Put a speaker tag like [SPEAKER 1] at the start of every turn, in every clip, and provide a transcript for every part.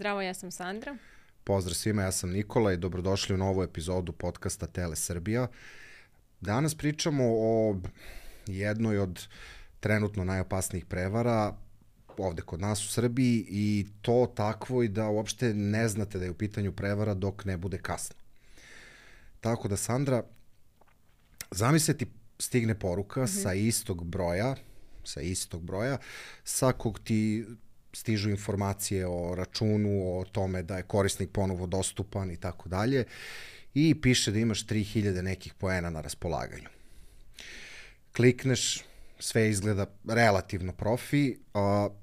[SPEAKER 1] Zdravo, ja sam Sandra.
[SPEAKER 2] Pozdrav svima, ja sam Nikola i dobrodošli u novu epizodu podcasta Tele Srbija. Danas pričamo o jednoj od trenutno najopasnijih prevara ovde kod nas u Srbiji i to takvoj da uopšte ne znate da je u pitanju prevara dok ne bude kasno. Tako da, Sandra, zamisliti stigne poruka sa istog broja, sa kog ti stižu informacije o računu, o tome da je korisnik ponovo dostupan i tako dalje i piše da imaš 3000 nekih poena na raspolaganju. Klikneš, sve izgleda relativno profi,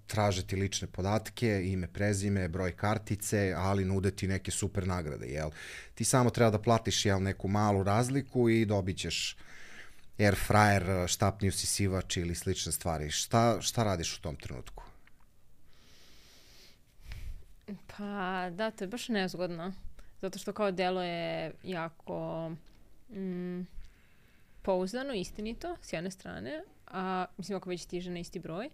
[SPEAKER 2] traže ti lične podatke, ime, prezime, broj kartice, ali nude ti neke super nagrade, jel? Ti samo treba da platiš, jel, neku malu razliku i dobit ćeš air fryer, štapni usisivač ili slične stvari. Šta radiš u tom trenutku?
[SPEAKER 1] Pa da, to je baš nezgodno. Zato što kao delo je jako pouzdano, istinito, s jedne strane. Mislim, ako već stiže na isti broj.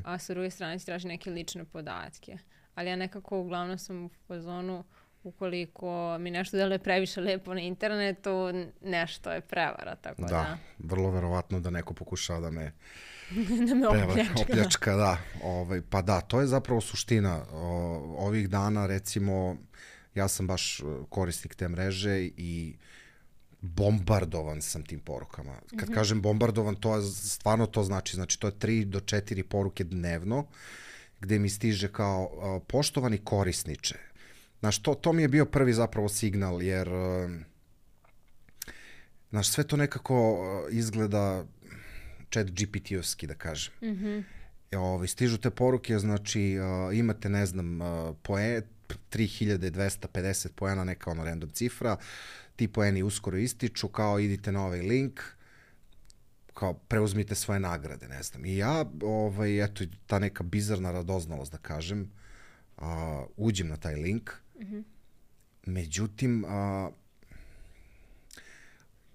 [SPEAKER 1] A sa druge strane si traži neke lične podatke. Ali ja nekako uglavnom sam u fazonu, ukoliko mi nešto deluje previše lepo na internetu, nešto je prevara, tako da.
[SPEAKER 2] Da, vrlo verovatno da neko pokušava da me
[SPEAKER 1] da me
[SPEAKER 2] opljačka, da. Pa da, to je zapravo suština. Ovih dana, recimo, ja sam baš korisnik te mreže i bombardovan sam tim porukama. Kad kažem bombardovan, stvarno to znači to je 3 do 4 poruke dnevno, gde mi stiže kao poštovani korisniče. Znaš, to mi je bio prvi zapravo signal, jer znaš, sve to nekako izgleda chat GPT-ovski, da kažem. Stižu te poruke, znači imate, ne znam, 3250 poena, neka ono random cifra, ti poeni uskoro ističu, kao idite na ovaj link, kao preuzmite svoje nagrade, ne znam. I ja, eto, ta neka bizarna radoznalost, da kažem, uđem na taj link, međutim,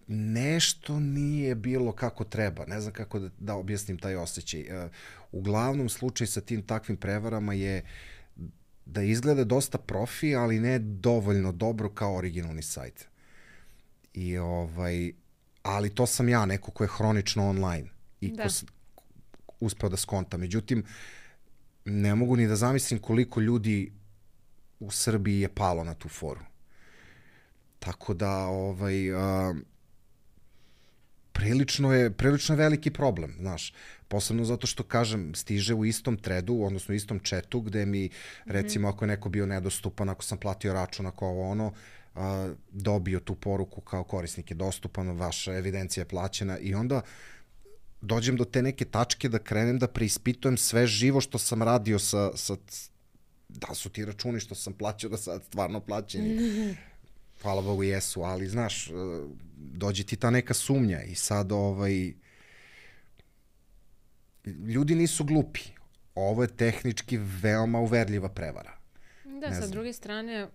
[SPEAKER 2] nešto nije bilo kako treba. Ne znam kako da objasnim taj osjećaj. Uglavnom, slučaj sa tim takvim prevarama je da izgleda dosta profi, ali ne dovoljno dobro kao originalni sajt. I ali to sam ja, neko ko je hronično online i ko uspeo da skonta. Međutim, ne mogu ni da zamislim koliko ljudi u Srbiji je palo na tu foru. Tako da, prilično je veliki problem, znaš. Posebno zato što, kažem, stiže u istom threadu, odnosno u istom chatu, gde mi, recimo, ako je neko bio nedostupan, ako sam platio račun, ako ono, dobio tu poruku kao korisnik je dostupan, vaša evidencija je plaćena i onda dođem do te neke tačke da krenem da preispitujem sve živo što sam radio da su ti računi što sam plaćao da sad stvarno plaćeni. Hvala Bogu jesu, ali znaš, dođe ti ta neka sumnja i sad ljudi nisu glupi. Ovo je tehnički veoma uverljiva prevara.
[SPEAKER 1] Da, sa druge strane,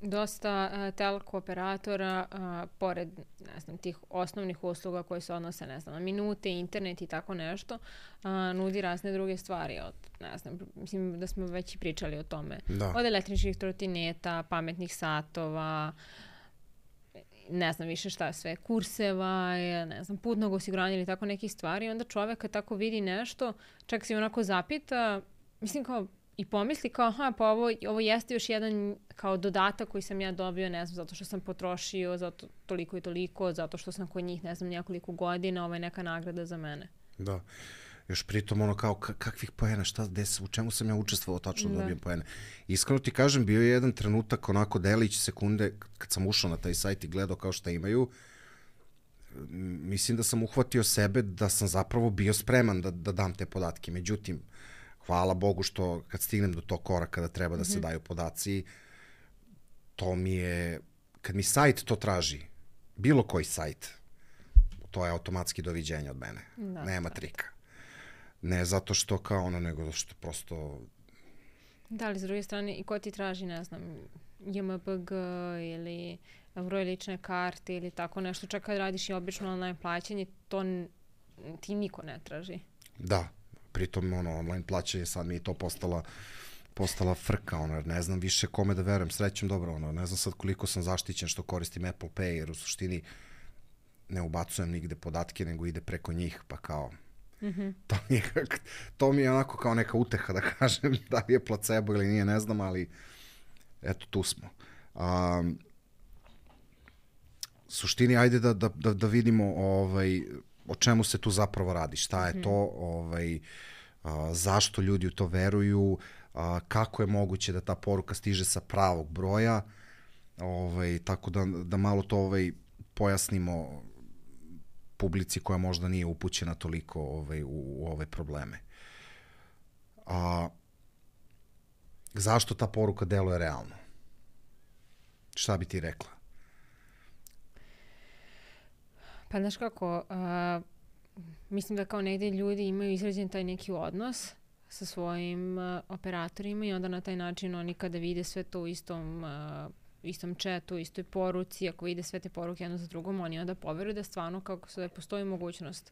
[SPEAKER 1] dosta telko operatora, pored, ne znam, tih osnovnih usluga koje se odnose, ne znam, na minute, internet i tako nešto, nudi razne druge stvari. Ne znam, mislim da smo već i pričali o tome.
[SPEAKER 2] Da.
[SPEAKER 1] Od električnih trotineta, pametnih satova, ne znam više šta sve, kurseva, ne znam, putnog osiguranja ili tako nekih stvari. Onda čovek kad tako vidi nešto, čak se onako zapita, mislim kao, i pomisli kao, pa ovo jeste još jedan kao dodatak koji sam ja dobio, ne znam, zato što sam potrošio, zato toliko i toliko, zato što sam kod njih, ne znam, nekoliko godina, ovo je neka nagrada za mene.
[SPEAKER 2] Da. Još pritom ono kao, kakvih poena, u čemu sam ja učestvovao tačno da dobijem poene. Iskreno ti kažem, bio je jedan trenutak, onako delić sekunde, kad sam ušao na taj sajt i gledao kao šta imaju, mislim da sam uhvatio sebe da sam zapravo bio spreman da dam te podatke. Međutim, hvala Bogu što kad stignem do tog koraka da treba da se daju podaci, to mi je, kad mi sajt to traži, bilo koji sajt, to je automatski doviđenje od mene. Nema trika. Ne zato što kao ono, nego što prosto...
[SPEAKER 1] Da, ali s druge strane, i ko ti traži, ne znam, JMBG ili broj lične karte ili tako nešto, čak kad radiš i obično online plaćanje, to ti niko ne traži.
[SPEAKER 2] Da, pritom online plaćanje sad mi je to postala postala frka, ono, jer ne znam više kome da verujem, srećem, dobro, ono, ne znam sad koliko sam zaštićen što koristim Apple Pay, jer u suštini ne ubacujem nigde podatke, nego ide preko njih, pa kao, to mi je onako kao neka uteha, da kažem, da li je placebo ili nije, ne znam, ali eto, tu smo. Suštini, ajde da vidimo o čemu se tu zapravo radi, šta je to, zašto ljudi u to veruju, kako je moguće da ta poruka stiže sa pravog broja, tako da malo to pojasnimo publici koja možda nije upućena toliko u ove probleme. Zašto ta poruka deluje realno? Šta bi ti rekla?
[SPEAKER 1] Pa znaš kako, mislim da kao negdje ljudi imaju izrađen taj neki odnos sa svojim operatorima i onda na taj način oni kada vide sve to u istom chatu, istoj poruci, ako vide sve te poruke jedno za drugom, oni onda poveruju da stvarno kako se postoji mogućnost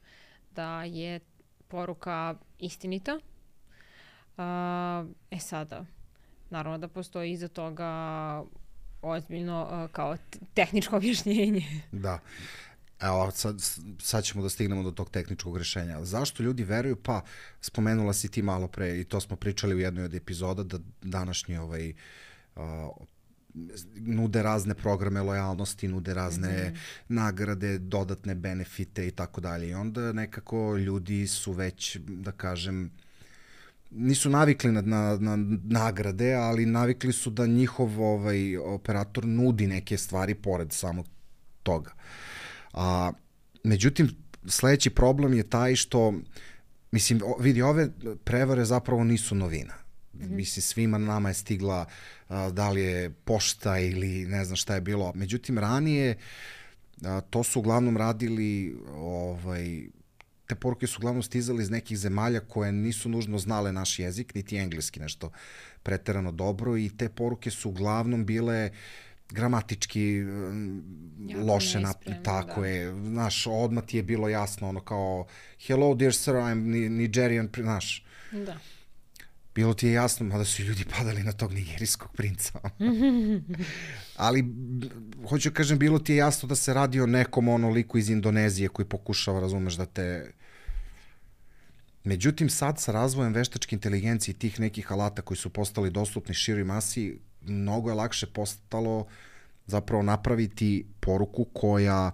[SPEAKER 1] da je poruka istinita. Sada, naravno da postoji iza toga ozbiljno kao tehničko objašnjenje.
[SPEAKER 2] Da. Evo, sad ćemo da stignemo do tog tehničkog rešenja. Zašto ljudi veruju? Pa, spomenula si ti malo pre i to smo pričali u jednoj od epizoda, da današnji nude razne programe lojalnosti, nude razne nagrade, dodatne benefite i tako dalje. I onda nekako ljudi su već, da kažem, nisu navikli na nagrade, ali navikli su da njihov operator nudi neke stvari pored samog toga. Međutim, sledeći problem je taj što, mislim, vidi, ove prevare zapravo nisu novina. Mislim, svima nama je stigla da li je pošta ili ne znam šta je bilo. Međutim, ranije to su uglavnom radili, te poruke su uglavnom stizali iz nekih zemalja koje nisu nužno znale naš jezik, niti engleski nešto preterano dobro, i te poruke su uglavnom bile gramatički loše, tako je, znaš, odmah ti je bilo jasno, ono kao hello dear sir, I'm Nigerian, znaš.
[SPEAKER 1] Da.
[SPEAKER 2] Bilo ti je jasno, mada su ljudi padali na tog nigerijskog princa. Ali, hoću kažem, bilo ti je jasno da se radi o nekom liku iz Indonezije koji pokušava, razumeš, da te... Međutim, sad sa razvojem veštačke inteligencije i tih nekih alata koji su postali dostupni široj masi, mnogo je lakše postalo zapravo napraviti poruku koja...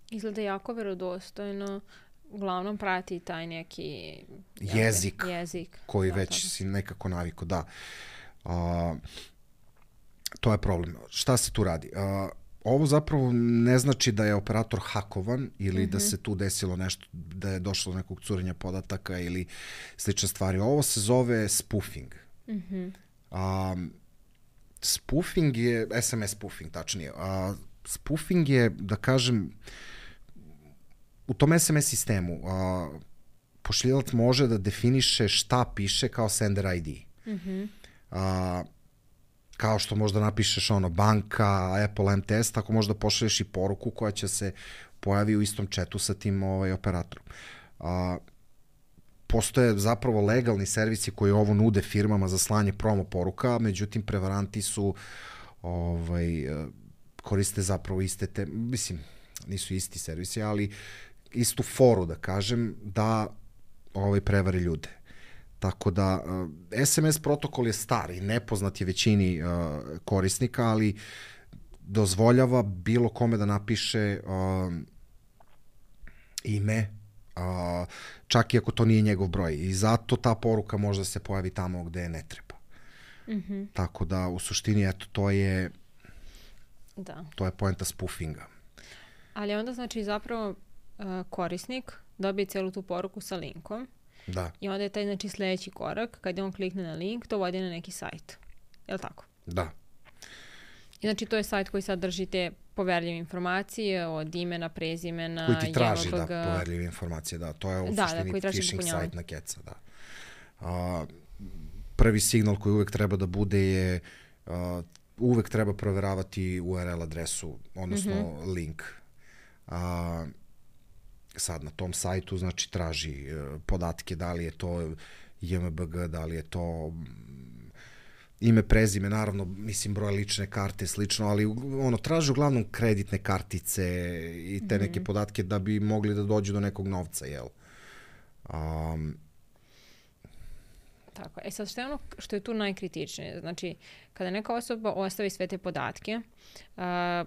[SPEAKER 1] Izgleda jako verodostojno, uglavnom prati taj neki
[SPEAKER 2] jezik koji
[SPEAKER 1] da,
[SPEAKER 2] već si nekako navikao, da. To je problem. Šta se tu radi? Ovo zapravo ne znači da je operator hakovan ili da se tu desilo nešto, da je došlo do nekog curenja podataka ili slične stvari. Ovo se zove spoofing. Spoofing je, SMS spoofing tačnije. Spoofing je, da kažem, u tom SMS sistemu pošiljilac može da definiše šta piše kao sender ID. Kao što možda napišeš banka, Apple MTS, tako možda pošalješ i poruku koja će se pojavi u istom chatu sa tim operatorom. Postoje zapravo legalni servisi koji ovo nude firmama za slanje promo poruka, međutim prevaranti su koriste zapravo iste mislim, nisu isti servisi, ali istu foru, da kažem, da prevare ljude. Tako da, SMS protokol je star i nepoznat je većini korisnika, ali dozvoljava bilo kome da napiše ime, čak i ako to nije njegov broj. I zato ta poruka može da se pojavi tamo gde ne treba. Tako da, u suštini, eto, to je poenta spoofinga.
[SPEAKER 1] Ali onda, znači, zapravo korisnik dobije celu tu poruku sa linkom.
[SPEAKER 2] Da.
[SPEAKER 1] I onda je taj, znači, sledeći korak, kada on klikne na link, to vodi na neki sajt. Je li tako?
[SPEAKER 2] Da.
[SPEAKER 1] I znači, to je sajt koji sadrži te poverljive informacije od imena, prezimena,
[SPEAKER 2] koji ti traži poverljive informacije, da. To je u suštini phishing sajt na keca, da. Prvi signal koji uvek treba da bude je uvek treba proveravati URL adresu, odnosno link. Sad na tom sajtu, znači, traži podatke, da li je to JMBG, da li je to ime, prezime, naravno, mislim, broj lične karte, slično, ali ono, traže uglavnom kreditne kartice i te neke podatke da bi mogli da dođu do nekog novca, jel?
[SPEAKER 1] Tako. Sad što je ono što je tu najkritičnije? Znači, kada neka osoba ostavi sve te podatke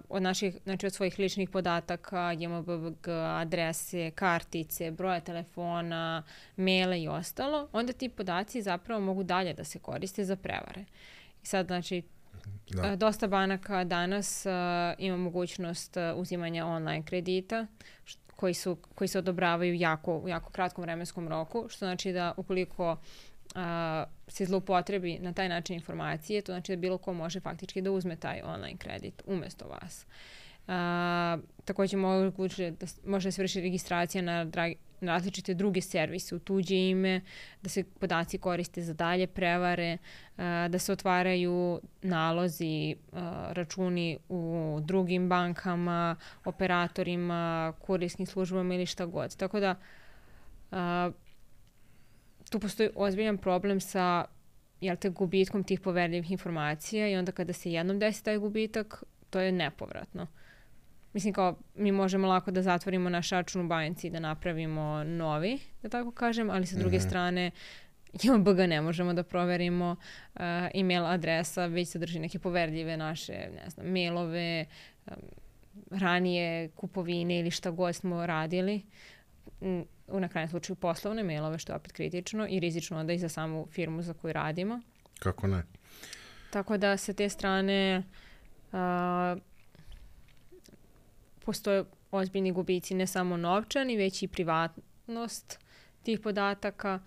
[SPEAKER 1] od naših, znači od svojih ličnih podataka, JMBG, adrese, kartice, broja telefona, maile i ostalo, onda ti podaci zapravo mogu dalje da se koriste za prevare. I sad, znači, dosta banaka danas ima mogućnost uzimanja online kredita, koji se odobravaju u jako kratkom vremenskom roku, što znači da ukoliko se zloupotrebi na taj način informacije, to znači da bilo ko može faktički da uzme taj online kredit umjesto vas. Također može se vrši registracija na različite druge servise u tuđe ime, da se podaci koriste za dalje prevare, da se otvaraju nalozi, računi u drugim bankama, operatorima, kurirskim službama ili šta god. Tako da tu postoji ozbiljan problem sa gubitkom tih poverljivih informacija i onda kada se jednom desi taj gubitak, to je nepovratno. Mislim kao mi možemo lako da zatvorimo naš račun u banci i da napravimo novi, da tako kažem, ali sa druge strane JMBG ne možemo da proverimo, email adresa već sadrži neke poverljive naše, ne znam, mailove, ranije kupovine ili šta god smo radili. Na krajnjem slučaju poslovne mailove, što je opet kritično i rizično onda i za samu firmu za koju radimo.
[SPEAKER 2] Kako ne?
[SPEAKER 1] Tako da sa te strane postoje ozbiljni gubici, ne samo novčani, već i privatnost tih podataka,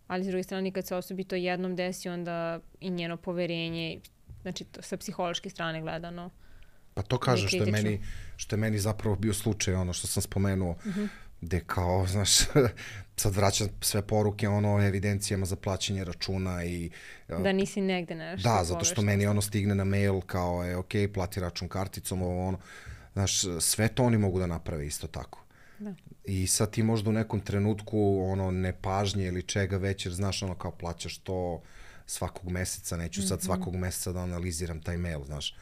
[SPEAKER 1] ali s druge strane kad se osobi to jednom desi, onda i njeno poverenje, znači to sa psihološke strane gledano.
[SPEAKER 2] Pa to kažem što je meni zapravo bio slučaj, ono što sam spomenuo, gde kao, znaš, sad vraćam sve poruke evidencijama za plaćanje računa i...
[SPEAKER 1] Da nisi negde nešto.
[SPEAKER 2] Da, zato što meni stigne na mail kao ok, plati račun karticom, znaš, sve to oni mogu da naprave isto tako.
[SPEAKER 1] Da.
[SPEAKER 2] I sad ti možda u nekom trenutku nepažnje ili čega već, jer znaš kao plaćaš to svakog meseca, neću sad svakog meseca da analiziram taj mail, znaš.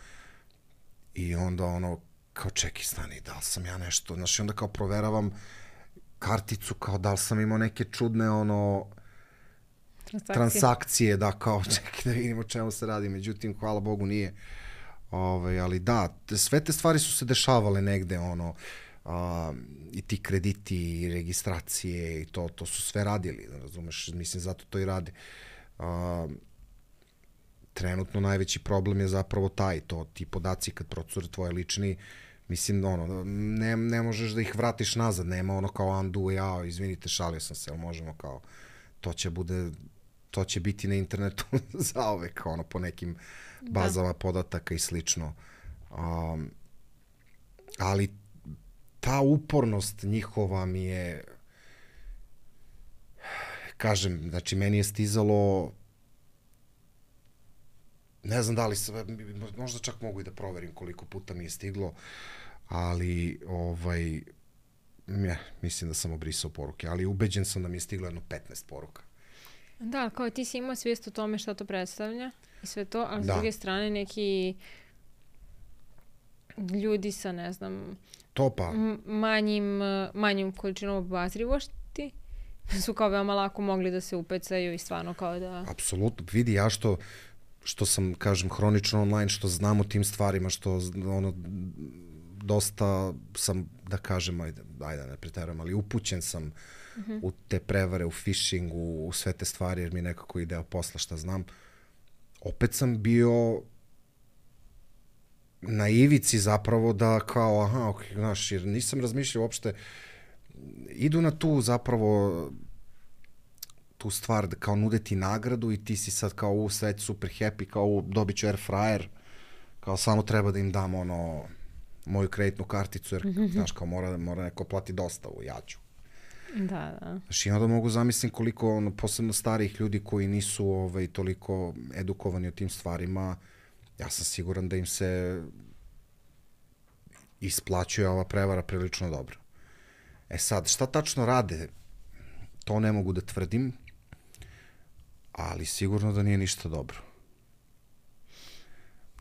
[SPEAKER 2] I onda kao čekaj, stani, da li sam ja nešto, znaš, i onda kao proveravam karticu, kao da li sam imao neke čudne transakcije, da kao čekaj da vidimo o čemu se radi, međutim, hvala Bogu nije. Ali da, sve te stvari su se dešavale negde, i ti krediti i registracije i to su sve radili, razumeš, mislim, zato to i rade. Trenutno najveći problem je zapravo ti podaci kad procure tvoje lični, mislim, ne možeš da ih vratiš nazad, nema kao undo, izvinite, šalio sam se, ali možemo kao, to će biti na internetu zaovek, po nekim bazama podataka i slično. Ali ta upornost njihova mi je, kažem, znači meni je stizalo, ne znam da li se, možda čak mogu i da proverim koliko puta mi je stiglo, ali mislim da sam obrisao poruke, ali ubeđen sam da mi je stiglo jedno 15 poruka.
[SPEAKER 1] Da, kao ti si imao svijest o tome šta to predstavlja i sve to, ali s druge strane neki ljudi sa, ne znam, manjim količinom obazrivosti su kao veoma lako mogli da se upecaju i stvarno kao da...
[SPEAKER 2] Apsolutno, vidi, ja što sam, kažem, hronično online, što znam o tim stvarima, što dosta sam, da kažem, ajde ne preterujem, ali upućen sam u te prevare, u phishing, u sve te stvari, jer mi nekako ide posla šta znam. Opet sam bio na ivici zapravo da kao, znaš, jer nisam razmišljao uopšte, idu na tu zapravo tu stvar da kao nude ti nagradu i ti si sad kao sve super happy, kao dobit ću air fryer, kao samo treba da im dam moju kreditnu karticu, jer znaš kao mora neko plati dostavu, ja ću.
[SPEAKER 1] Da.
[SPEAKER 2] Znači, onda mogu zamislim koliko posebno starih ljudi koji nisu toliko edukovani o tim stvarima, ja sam siguran da im se isplaćuje ova prevara prilično dobro. Sad, šta tačno rade, to ne mogu da tvrdim, ali sigurno da nije ništa dobro.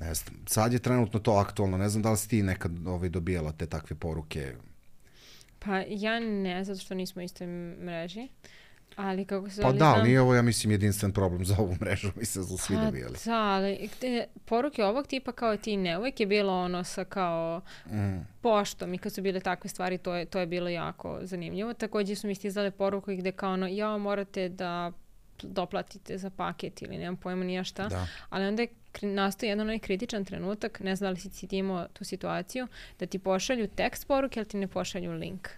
[SPEAKER 2] Ne znam, sad je trenutno to aktualno, ne znam da li si ti nekad dobijala te takve poruke.
[SPEAKER 1] Pa ja ne, zato što nismo u istoj mreži. Ali kako se
[SPEAKER 2] Pa
[SPEAKER 1] ali
[SPEAKER 2] da,
[SPEAKER 1] znam...
[SPEAKER 2] nije ovo, ja mislim, jedinstven problem za ovu mrežu, mislim da su svi dobijali.
[SPEAKER 1] Da, ali poruke ovog tipa kao ti ne, uvijek je bilo ono sa kao poštom i kad su bile takve stvari, to je bilo jako zanimljivo. Također su mi stizale poruke gde kao ono, ja morate da doplatite za paket ili nemam pojma nija šta.
[SPEAKER 2] Da.
[SPEAKER 1] Ali onda je nastao jedan onaj kritičan trenutak, ne znam da li si ti imao tu situaciju, da ti pošalju tekst poruke, ali ti ne pošalju link.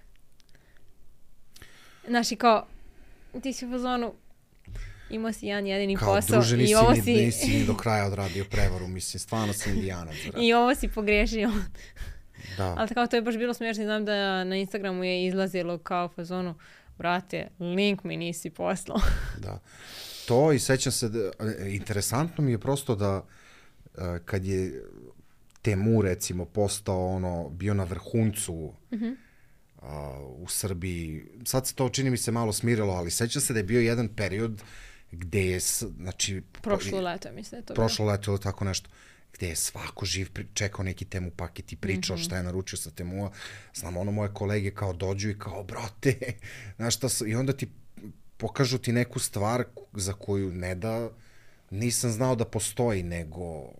[SPEAKER 1] Znaš i kao, ti si u fazonu, imao si jedan jedini
[SPEAKER 2] kao,
[SPEAKER 1] posao
[SPEAKER 2] druže,
[SPEAKER 1] i ovo si...
[SPEAKER 2] nisi ni do kraja odradio prevaru, mislim, stvarno si indijanac.
[SPEAKER 1] I ovo si pogrešio.
[SPEAKER 2] Da.
[SPEAKER 1] Ali kao to je baš bilo smiješno, znam da na Instagramu je izlazilo kao fazonu, brate, link mi nisi poslao.
[SPEAKER 2] Da. To i sećam se, interesantno mi je prosto da kad je Temu recimo postao bio na vrhuncu u Srbiji, sad se to čini mi se malo smirilo, ali sećam se da je bio jedan period gde je, znači...
[SPEAKER 1] Prošlo leto, mislim da je to
[SPEAKER 2] prošlo leto ili tako nešto, gde je svako živ čekao neki Temu paket i pričao šta je naručio sa Temua. Znam, moje kolege kao dođu i kao, brate, znaš šta, i onda ti pokažu ti neku stvar za koju ne da nisam znao da postoji, nego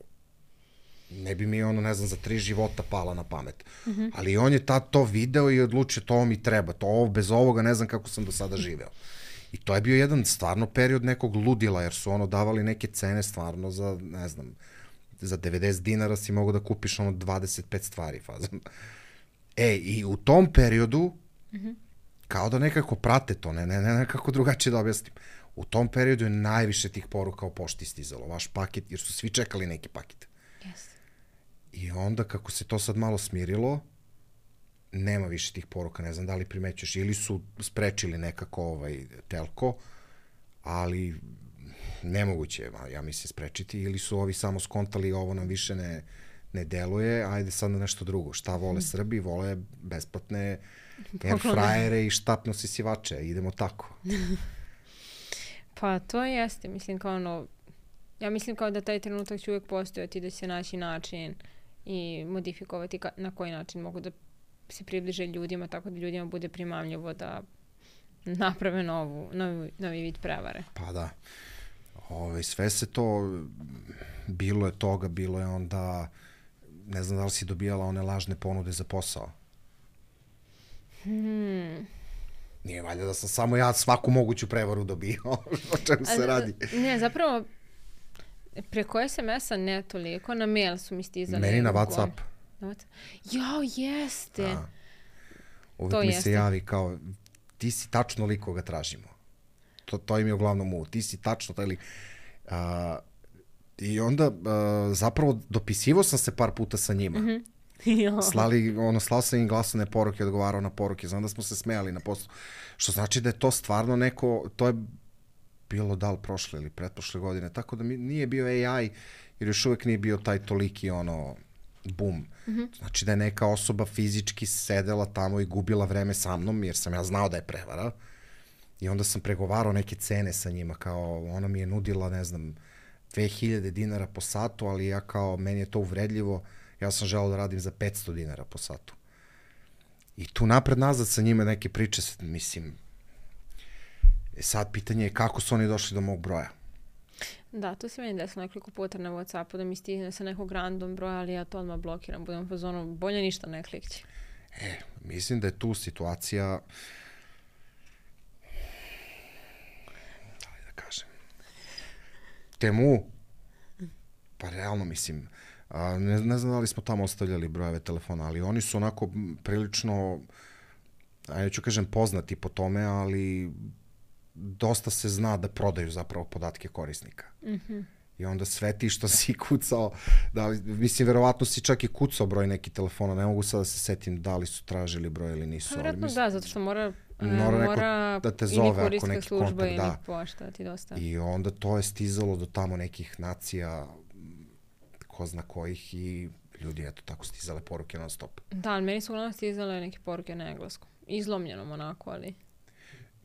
[SPEAKER 2] ne bi mi ne znam, za 3 života pala na pamet. Ali on je tad to video i odlučio, to mi treba, bez ovoga ne znam kako sam do sada živeo. I to je bio jedan stvarno period nekog ludila, jer su davali neke cene stvarno za, ne znam, za 90 dinara si mogu da kupiš 25 stvari. Fazom. I u tom periodu, kao da nekako prate to, ne nekako drugačije da objasnim. U tom periodu je najviše tih poruka o pošti stizalo, vaš paket, jer su svi čekali neki paket.
[SPEAKER 1] Yes.
[SPEAKER 2] I onda kako se to sad malo smirilo, nema više tih poruka, ne znam da li primećuješ, ili su sprečili nekako telko, ali nemoguće je, ja mislim, sprečiti, ili su ovi samo skontali ovo nam više ne deluje, ajde sad na nešto drugo. Šta vole Srbi? Vole besplatne airfryere i štapno sisivače. Idemo tako.
[SPEAKER 1] Pa to jeste, mislim kao ja mislim kao da taj trenutak će uvijek postojati, da će se naći način i modifikovati na koji način mogu da se približe ljudima, tako da ljudima bude primamljivo da naprave novi vid prevare.
[SPEAKER 2] Pa da. Sve se to, bilo je toga, bilo je onda, ne znam da li si dobijala one lažne ponude za posao. Nije valjda da sam samo ja svaku moguću prevaru dobio, o čemu se radi.
[SPEAKER 1] Ne, zapravo, preko SMS-a ne toliko, na mail su mi stizali.
[SPEAKER 2] Meni na WhatsApp.
[SPEAKER 1] Jao, jeste.
[SPEAKER 2] Uvijek mi se javi kao, ti si tačno lik koga tražimo. To im je uglavnom ti si tačno taj lik. I onda zapravo dopisivo sam se par puta sa njima. Slao sam im glasovne poruke, odgovarao na poruke, znam da smo se smejali na poslu. Što znači da je to stvarno neko, to je bilo da li prošle ili pretprošle godine, tako da nije bio AI, jer još uvijek nije bio taj toliki boom. Znači da je neka osoba fizički sedela tamo i gubila vreme sa mnom, jer sam ja znao da je prevara. I onda sam pregovarao neke cene sa njima, kao ona mi je nudila, ne znam, 2000 dinara po satu, ali ja kao, meni je to uvredljivo, ja sam želeo da radim za 500 dinara po satu. I tu napred nazad sa njima neke priče, mislim, sad pitanje je kako su oni došli do mog broja.
[SPEAKER 1] Da, to se meni desilo nekoliko puta na WhatsAppu da mi stigne sa nekog random broja, ali ja to odmah blokiram, budem po zonu, bolje ništa ne klikći.
[SPEAKER 2] Mislim da je tu situacija, Temu, pa realno mislim, ne znam da li smo tamo ostavljali brojeve telefona, ali oni su onako prilično, neću kažem poznati po tome, ali dosta se zna da prodaju zapravo podatke korisnika. I onda sve ti što si kucao, mislim, verovatno si čak i kucao broj neki telefona, ne mogu sad da se setim da li su tražili broj ili nisu.
[SPEAKER 1] Vjerojatno da, zato što mora
[SPEAKER 2] da te zove ako neki
[SPEAKER 1] služba
[SPEAKER 2] kontakt,
[SPEAKER 1] ili pošta da ti dostavi.
[SPEAKER 2] I onda to je stizalo do tamo nekih nacija, ko zna kojih, i ljudi, eto, tako stizale poruke non stop.
[SPEAKER 1] Da, ali meni su uglavnom stizale neke poruke na engleskom. Izlomljenom onako, ali...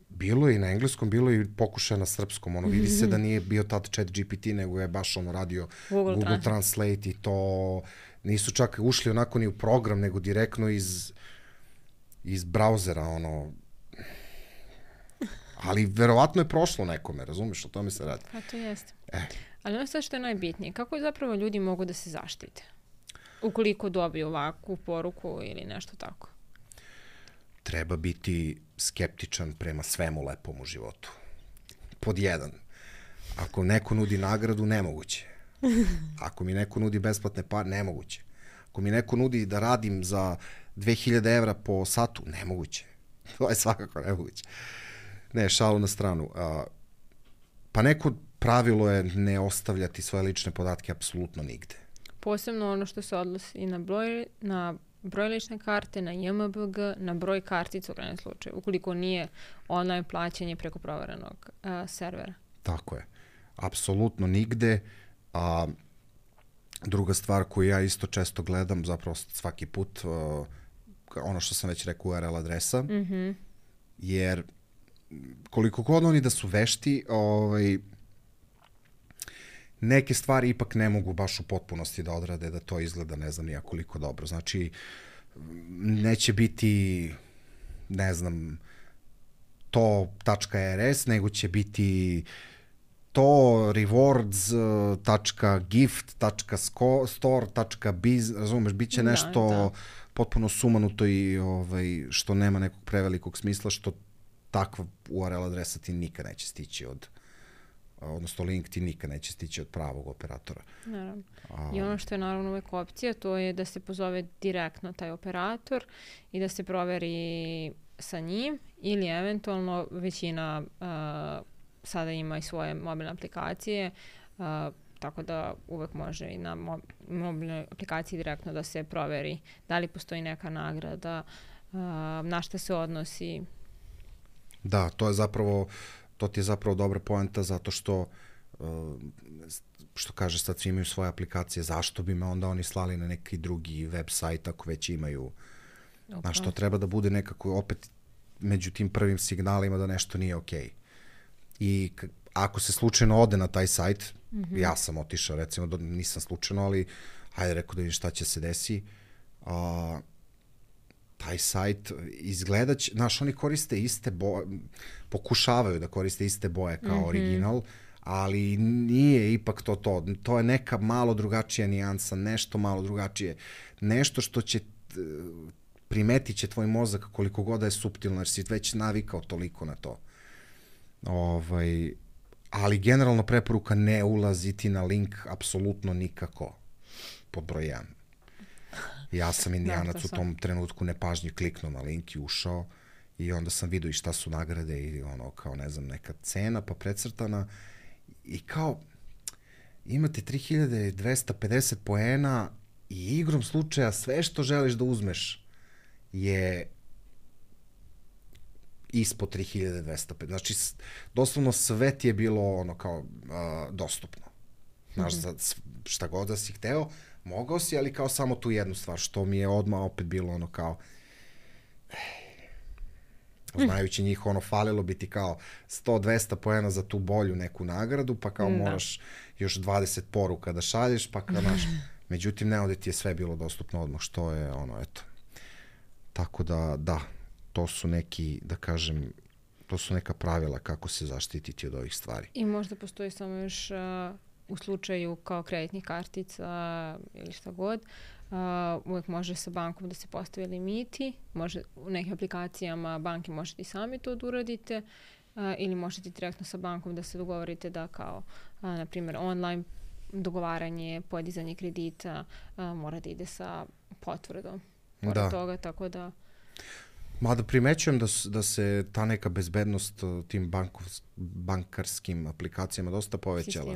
[SPEAKER 2] Bilo je i na engleskom, bilo je i pokušaja na srpskom. Ono, vidi se da nije bio tad chat GPT, nego je baš ono radio Google Translate i to nisu čak ušli onako ni u program, nego direktno iz brauzera, ono. Ali verovatno je prošlo nekome, razumeš, o tome se radi.
[SPEAKER 1] Pa to jeste. Ali ono sve što je najbitnije, kako zapravo ljudi mogu da se zaštite? Ukoliko dobiju ovakvu poruku ili nešto tako.
[SPEAKER 2] Treba biti skeptičan prema svemu lepom u životu. Pod jedan. Ako neko nudi nagradu, nemoguće. Ako mi neko nudi besplatne pare, nemoguće. Ako mi neko nudi da radim za 2000 evra po satu, nemoguće. To je svakako nemoguće. Ne, šalu na stranu. Pa neko pravilo je ne ostavljati svoje lične podatke apsolutno nigde.
[SPEAKER 1] Posebno ono što se odnosi i na broj lične karte, na JMBG, na broj kartica u krajnjem slučaju, ukoliko nije online plaćanje preko proverenog servera.
[SPEAKER 2] Tako je. Apsolutno nigde. Druga stvar koju ja isto često gledam, zapravo svaki put, ono što sam već rekao, URL adresa, jer koliko god oni da su vešti, neke stvari ipak ne mogu baš u potpunosti da odrade, da to izgleda ne znam nija koliko dobro. Znači, neće biti, ne znam, to.rs, nego će biti to rewards.gift.store.biz, razumeš, bit će nešto potpuno sumanuto i što nema nekog prevelikog smisla, što takva URL adresa ti nikad neće stići odnosno link ti nikad neće stići od pravog operatora.
[SPEAKER 1] Naravno. I ono što je naravno uvek opcija, to je da se pozove direktno taj operator i da se proveri sa njim ili eventualno većina sada ima i svoje mobilne aplikacije, tako da uvek može i na mobilnoj aplikaciji direktno da se proveri da li postoji neka nagrada, na šta se odnosi.
[SPEAKER 2] Da, to ti je zapravo dobra poenta, zato što kaže sad svi imaju svoje aplikacije, zašto bi me onda oni slali na neki drugi web sajt ako već imaju, znaš, to treba da bude nekako opet među tim prvim signalima da nešto nije okej. I ako se slučajno ode na taj sajt, ja sam otišao, recimo, nisam slučajno, ali hajde rekao da vidim šta će se desi, taj sajt izgledaće, znaš, oni koriste iste boje, pokušavaju da koriste iste boje kao original, ali nije ipak to. To je neka malo drugačija nijansa, nešto malo drugačije, nešto što će primetit će tvoj mozak koliko god da je suptilno, jer si već navikao toliko na to. Ali generalno preporuka ne ulaziti na link apsolutno nikako, pod broj 1. Ja sam indijanac u tom trenutku nepažnji kliknuo na link i ušao i onda sam vidio i šta su nagrade i ono kao ne znam neka cena pa precrtana i kao imate 3250 poena i igrom slučaja sve što želiš da uzmeš je ispod 3250. Znači doslovno sve ti je bilo ono kao dostupno. Znaš, šta god da si hteo, mogao si, ali kao samo tu jednu stvar, što mi je odmah opet bilo ono kao znajući njih, ono, falilo bi ti kao 100-200 poena za tu bolju neku nagradu, pa kao moraš još 20 poruka da šalješ, pa kao naš, međutim, ne, ovdje ti je sve bilo dostupno odmah, što je, ono, eto. Tako da, to su neki, da kažem, to su neka pravila kako se zaštititi od ovih stvari.
[SPEAKER 1] I možda postoji samo još u slučaju kao kreditnih kartica ili šta god, uvek može sa bankom da se postave limiti, može u nekim aplikacijama banke možete i sami to da uradite ili možete direktno sa bankom da se dogovorite da kao, na primjer, online dogovaranje, podizanje kredita mora da ide sa potvrdom pored toga, tako da...
[SPEAKER 2] Mada primećujem da se ta neka bezbednost tim bankarskim aplikacijama dosta povećala.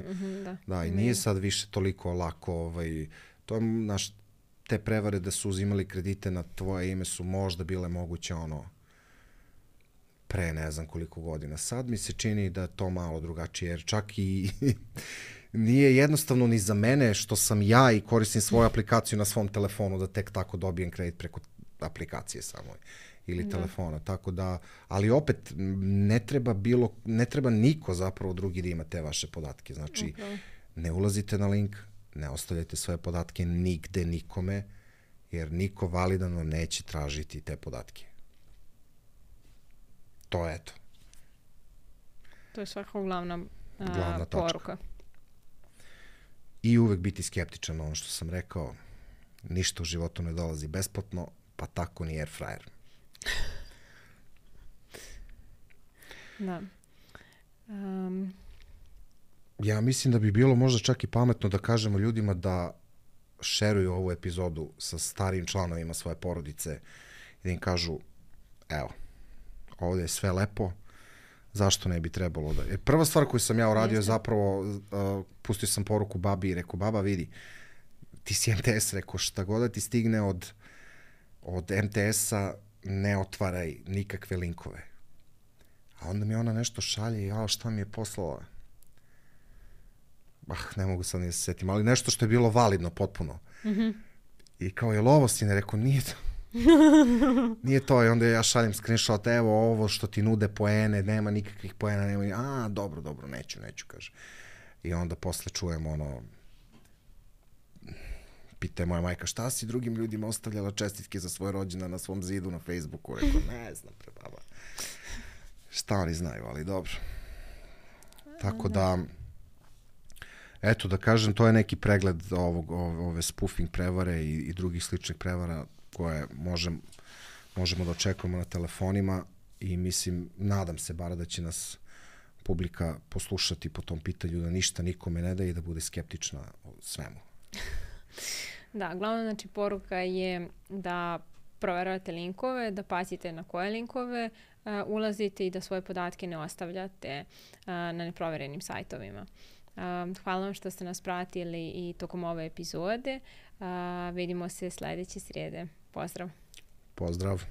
[SPEAKER 2] Da, i nije sad više toliko lako. To je, znaš, te prevare da su uzimali kredite na tvoje ime su možda bile moguće pre ne znam koliko godina. Sad mi se čini da je to malo drugačije, jer čak i nije jednostavno ni za mene što sam ja i koristim svoju aplikaciju na svom telefonu da tek tako dobijem kredit preko aplikacije samo ili telefona, tako da, ali opet ne treba niko zapravo drugi da ima te vaše podatke, znači ne ulazite na link, ne ostavljajte svoje podatke nigde nikome, jer niko validan vam neće tražiti te podatke. To je to.
[SPEAKER 1] To je svakako glavna
[SPEAKER 2] poruka. I uvek biti skeptičan, ono što sam rekao, ništa u životu ne dolazi besplatno, pa tako ni air fryer.
[SPEAKER 1] Da.
[SPEAKER 2] Ja mislim da bi bilo možda čak i pametno da kažemo ljudima da šeruju ovu epizodu sa starijim članovima svoje porodice i da im kažu, evo, ovdje je sve lepo, zašto ne bi trebalo da... Prva stvar koju sam ja uradio je zapravo, pustio sam poruku babi i rekao, baba vidi, ti si MTS, rekao, šta god da ti stigne od MTS-a, ne otvaraj nikakve linkove. A onda mi ona nešto šalje i šta mi je poslala? Ne mogu sad ni da se setim, ali nešto što je bilo validno potpuno. I kao, je li ovo sine? Rekao, nije to. Nije to. I onda ja šaljem screenshot, evo ovo što ti nude poene, nema nikakvih poena, nema dobro, neću, kaže. I onda posle čujem pita je moja majka, šta si drugim ljudima ostavljala čestitke za svoje rođendan na svom zidu na Facebooku? Rekao, ne znam, baba. Šta oni znaju, ali dobro. Tako da, eto da kažem, to je neki pregled ove spoofing prevare i drugih sličnih prevara koje možemo da očekujemo na telefonima i mislim, nadam se bar da će nas publika poslušati po tom pitanju, da ništa nikome ne da i da bude skeptična o svemu.
[SPEAKER 1] Da, glavna znači poruka je da proveravate linkove, da pazite na koje linkove ulazite i da svoje podatke ne ostavljate na neproverenim sajtovima. Hvala vam što ste nas pratili i tokom ove epizode. Vidimo se sledeće srijede. Pozdrav!
[SPEAKER 2] Pozdrav!